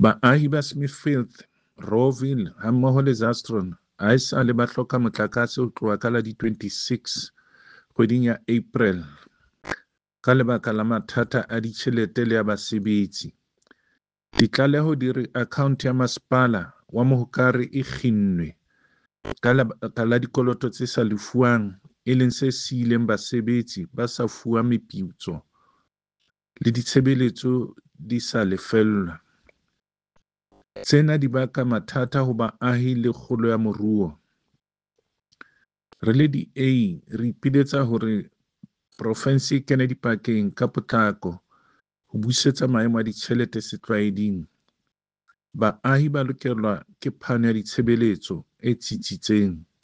Baahi ba Smithfield, Rawville hammoho le Zastron haesale ba hloka motlakase ho tloha ka la di 26 kgweding ya April ka lebaka la mathata a ditjhelete le a basebetsi. Ditlaleho di re akhaonte ya masepala wa Mohokare e kginnwe ka lebaka la dikoloto tse sa lefuwang e leng se siileng basebetsi ba sa fuwa meputso le ditshebeletso di sa lefellwa. Tsena di baka mathata ho baahi le kgolo ya moruo. Re le DA re ipiletsa hore profensi e kene dipakeng ka potlako ho busetsa maemo a ditjhelete setlwaeding. Baahi ba lokelwa ke phano ya ditshebeletso e tsitsitseng.